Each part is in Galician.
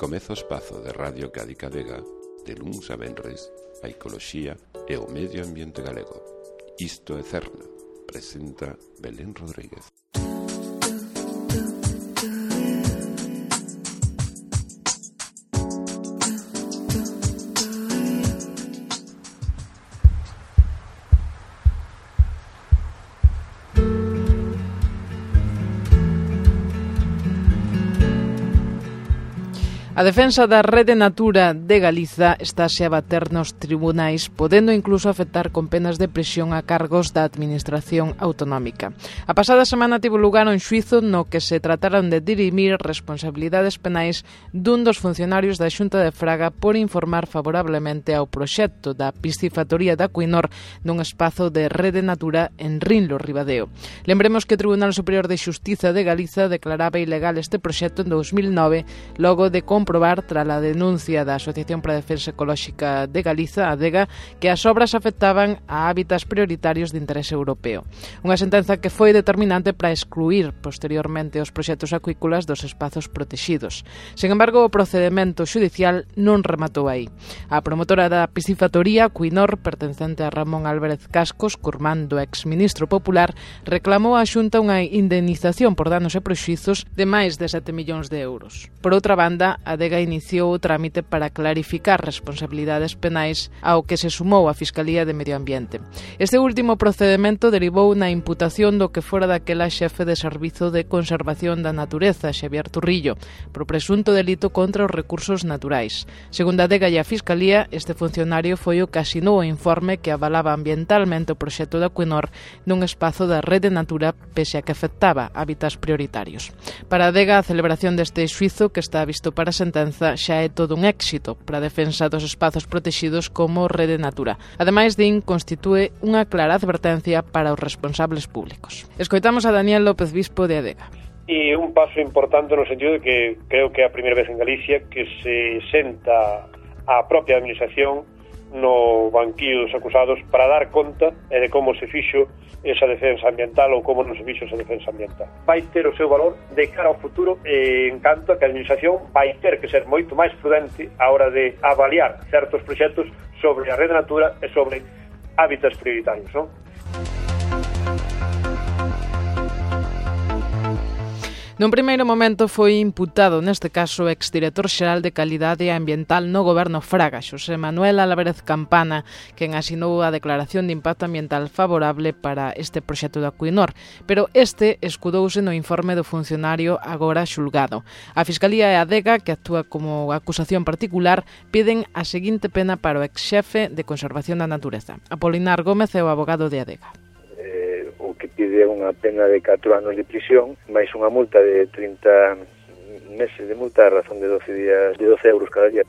Comeza o espazo de Radio Cádiz Vega, de luns a venres, a ecoloxía e o medio ambiente galego. Isto é Cerna, presenta Belén Rodríguez. A defensa da Rede Natura de Galiza estáse a bater nos tribunais, podendo incluso afectar con penas de prisión a cargos da Administración Autonómica. A pasada semana tivo lugar un xuízo no que se trataron de dirimir responsabilidades penais dun dos funcionarios da Xunta de Fraga por informar favorablemente ao proxecto da piscifactoría da Acuinor nun espazo de Rede Natura en Rinlo, Ribadeo. Lembremos que o Tribunal Superior de Xustiza de Galiza declaraba ilegal este proxecto en 2009, logo de comprobar tras a denuncia da Asociación para a Defensa Ecolóxica de Galiza, ADEGA, que as obras afectaban a hábitats prioritarios de interese europeo. Unha sentenza que foi determinante para excluir posteriormente os proxectos acuícolas dos espazos protexidos. Sen embargo, o procedemento xudicial non rematou aí. A promotora da piscifactoría, Acuinor, pertencente a Ramón Álvarez Cascos, curmán do exministro popular, reclamou á Xunta unha indemnización por danos e prexuizos de máis de 7 millóns de euros. Por outra banda, a ADEGA iniciou o trámite para clarificar responsabilidades penais ao que se sumou a Fiscalía de Medio Ambiente. Este último procedemento derivou na imputación do que fora daquela xefe de Servizo de Conservación da Natureza, Xavier Turrillo, por presunto delito contra os recursos naturais. Segundo a ADEGA e a Fiscalía, este funcionario foi o que asinou o informe que avalaba ambientalmente o proxecto da Acuinor nun espazo da Rede Natura pese a que afectaba hábitats prioritarios. Para a ADEGA, a celebración deste xuízo, que está visto para sentenza, xa é todo un éxito para a defensa dos espazos protexidos como Rede Natura. Ademais, din, constitúe unha clara advertencia para os responsables públicos. Escoitamos a Daniel López Bispo de ADEGA. E un paso importante no sentido de que creo que é a primeira vez en Galicia que se senta a propia administración no banquillo dos acusados para dar conta de como se fixo esa defensa ambiental ou como non se fixo esa defensa ambiental. Vai ter o seu valor de cara ao futuro e encanto que a administración vai ter que ser moito máis prudente a hora de avaliar certos proxectos sobre a Rede Natura e sobre hábitats prioritarios, non? Nun primeiro momento foi imputado, neste caso, o exdirector xeral de Calidade Ambiental no Goberno Fraga, Xosé Manuel Álvarez Campana, quen asinou a declaración de impacto ambiental favorable para este proxecto da Acuinor, pero este escudouse no informe do funcionario agora xulgado. A Fiscalía e a ADEGA, que actúa como acusación particular, piden a seguinte pena para o exxefe de Conservación da Natureza. Apolinar Gómez é o abogado de ADEGA. Que pide unha pena de 4 anos de prisión, máis unha multa de 30 meses de multa a razón de 12 euros cada día,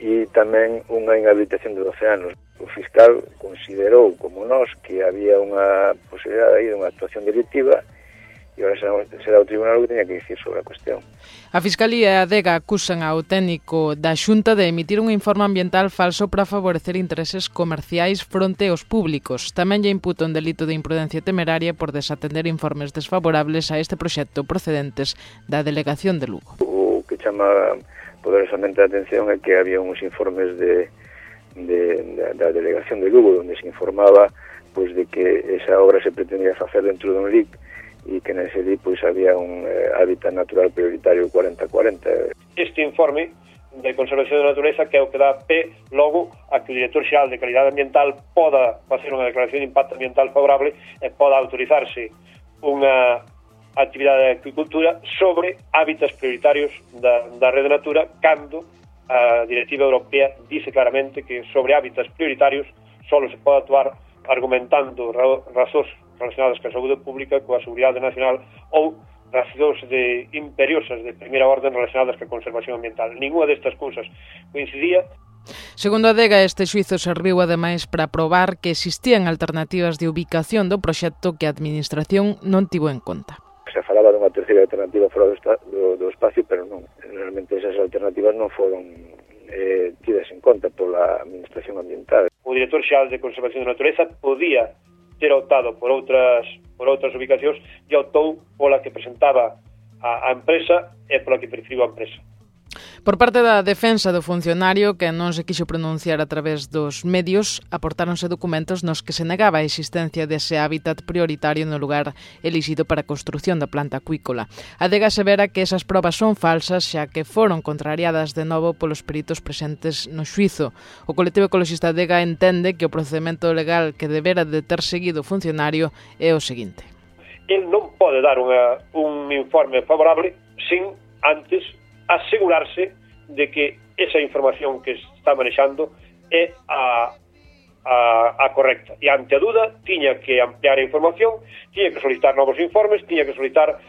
e tamén unha inhabilitación de 12 anos. O fiscal considerou, como nós, que había unha posibilidade aí de unha actuación delictiva e agora será o tribunal que teña que dicir sobre a cuestión. A Fiscalía e a ADEGA acusan ao técnico da Xunta de emitir un informe ambiental falso para favorecer intereses comerciais fronte aos públicos. Tamén lle imputa un delito de imprudencia temeraria por desatender informes desfavorables a este proxecto procedentes da Delegación de Lugo. O que chama poderosamente a atención é que había uns informes da Delegación de Lugo onde se informaba de que esa obra se pretendía facer dentro dun LIC e que nese día había un hábitat natural prioritario 40-40. Este informe de conservación da natureza que é o que dá pé logo a que o director xeral de Calidade Ambiental poda facer unha declaración de impacto ambiental favorable e poda autorizarse unha actividade de agricultura sobre hábitats prioritarios da Rede Natura cando a Directiva Europea dice claramente que sobre hábitats prioritarios só se pode actuar argumentando razóns relacionadas coa saúde pública, coa seguridade nacional ou razóns imperiosas de primeira orden relacionadas coa conservación ambiental. Ninguna destas cousas coincidía. Segundo a ADEGA, este xuízo serviu ademais para probar que existían alternativas de ubicación do proxecto que a Administración non tivo en conta. Se falaba dunha terceira alternativa fora do espacio, pero non. Realmente esas alternativas non foron tidas en conta pola Administración Ambiental. O director xeral de Conservación da Natureza podía ter optado por outras ubicacións e optou pola que presentaba a empresa e pola que preferiu a empresa. Por parte da defensa do funcionario, que non se quixo pronunciar a través dos medios, aportáronse documentos nos que se negaba a existencia dese hábitat prioritario no lugar elixido para a construción da planta acuícola. A Adega asevera que esas probas son falsas, xa que foron contrariadas de novo polos peritos presentes no xuízo. O colectivo ecologista Adega entende que o procedimento legal que debera de ter seguido o funcionario é o seguinte. El non pode dar un informe favorable sin antes asegurarse de que esa información que está manexando é a correcta. E ante a duda, tiña que ampliar a información, tiña que solicitar novos informes, tiña que solicitar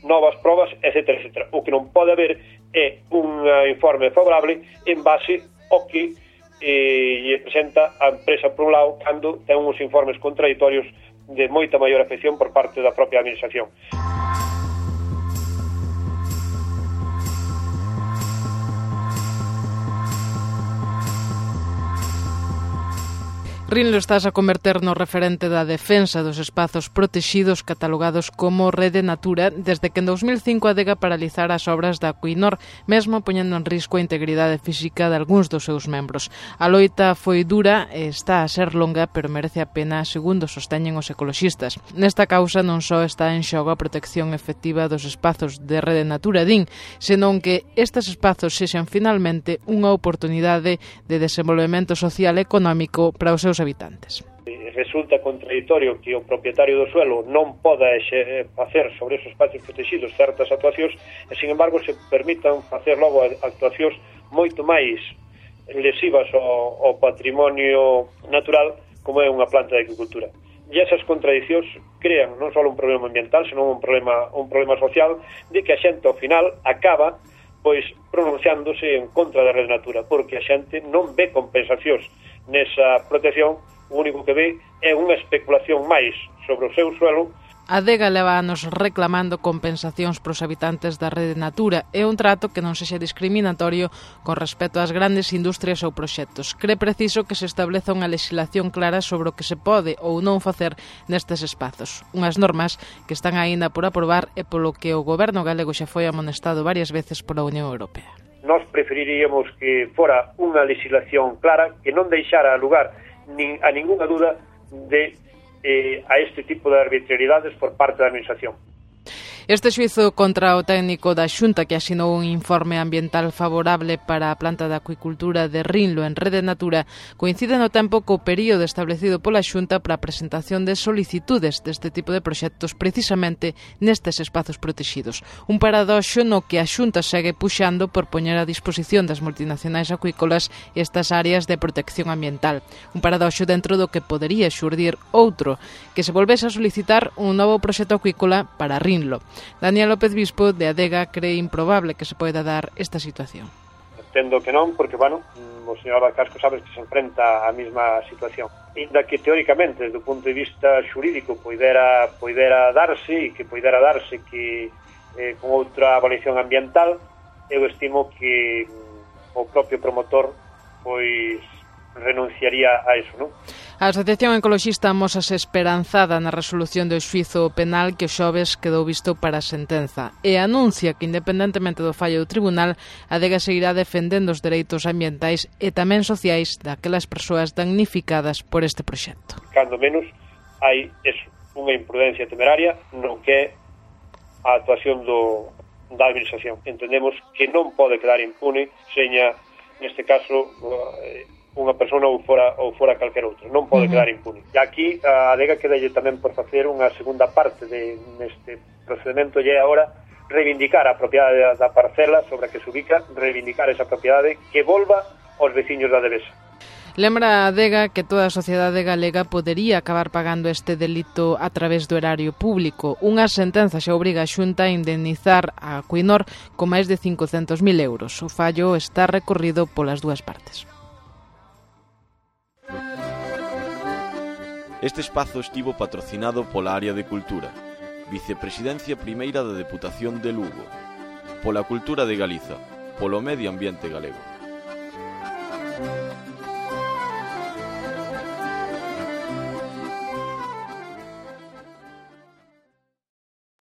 novas probas, etc. etc. O que non pode haber é un informe favorable en base ao que lle presenta a empresa por un lado, cando ten uns informes contradictorios de moita maior afección por parte da propia administración. Rinlo estás a converter no referente da defensa dos espazos protexidos catalogados como Rede Natura desde que en 2005 a Adega paralizara as obras da Acuinor, mesmo poñendo en risco a integridade física de algúns dos seus membros. A loita foi dura e está a ser longa, pero merece a pena, segundo sosteñen os ecoloxistas. Nesta causa non só está en xogo a protección efectiva dos espazos de Rede Natura, din, senón que estes espazos sexan finalmente unha oportunidade de desenvolvemento social e económico para os seus habitantes. Resulta contradictorio que o propietario do suelo non poda facer sobre esos espacios protegidos certas actuacións e, sin embargo, se permitan facer logo actuacións moito máis lesivas ao patrimonio natural como é unha planta de agricultura. E esas contradicións crean non só un problema ambiental, senón un problema social de que a xente ao final acaba pronunciándose en contra da Rede Natura, porque a xente non ve compensacións nesa protección, o único que ve é unha especulación máis sobre o seu suelo. A Adega leva anos reclamando compensacións pros habitantes da Rede Natura e un trato que non sexa discriminatorio con respecto ás grandes industrias ou proxectos. Cre preciso que se estableza unha legislación clara sobre o que se pode ou non facer nestes espazos. Unhas normas que están aínda por aprobar e polo que o goberno galego xa foi amonestado varias veces pola Unión Europea. Nós preferiríamos que fora unha legislación clara que non deixara lugar a ningunha duda a este tipo de arbitrariedades por parte da administración. Este xuízo contra o técnico da Xunta que asinou un informe ambiental favorable para a planta de acuicultura de Rinlo en Rede Natura coincide no tempo co período establecido pola Xunta para a presentación de solicitudes deste tipo de proxectos precisamente nestes espazos protegidos. Un paradoxo no que a Xunta segue puxando por poñer a disposición das multinacionais acuícolas estas áreas de protección ambiental. Un paradoxo dentro do que podería xurdir outro, que se volvese a solicitar un novo proxecto acuícola para Rinlo. Daniel López Bispo, de Adega, cree improbable que se poida dar esta situación. Entendo que non, porque, o señor Abascasco sabes que se enfrenta á mesma situación. Inda que, teóricamente, desde o punto de vista xurídico, poidera darse, que con outra avaliación ambiental, eu estimo que o propio promotor, renunciaría a eso, non? A Asociación Ecoloxista amosase esperanzada na resolución do xuízo penal que o xoves quedou visto para a sentenza e anuncia que, independentemente do fallo do tribunal, a Adega seguirá defendendo os dereitos ambientais e tamén sociais daquelas persoas damnificadas por este proxecto. Cando menos hai unha imprudencia temeraria no que é a actuación da administración. Entendemos que non pode quedar impune seña, neste caso, unha persona ou fora calquer outro. Non pode quedar impune. E aquí a Adega quedalle tamén por facer unha segunda parte neste procedimento e agora reivindicar a propiedade da parcela sobre a que se ubica, reivindicar esa propiedade que volva aos veciños da Devesa. Lembra a Adega que toda a sociedade galega podería acabar pagando este delito a través do erario público. Unha sentenza xa obriga a Xunta a indemnizar a Acuinor con máis de 500.000 euros. O fallo está recorrido polas dúas partes. Este espazo estivo patrocinado pola Área de Cultura, Vicepresidencia Primeira da Deputación de Lugo, pola Cultura de Galiza, polo Medio Ambiente Galego.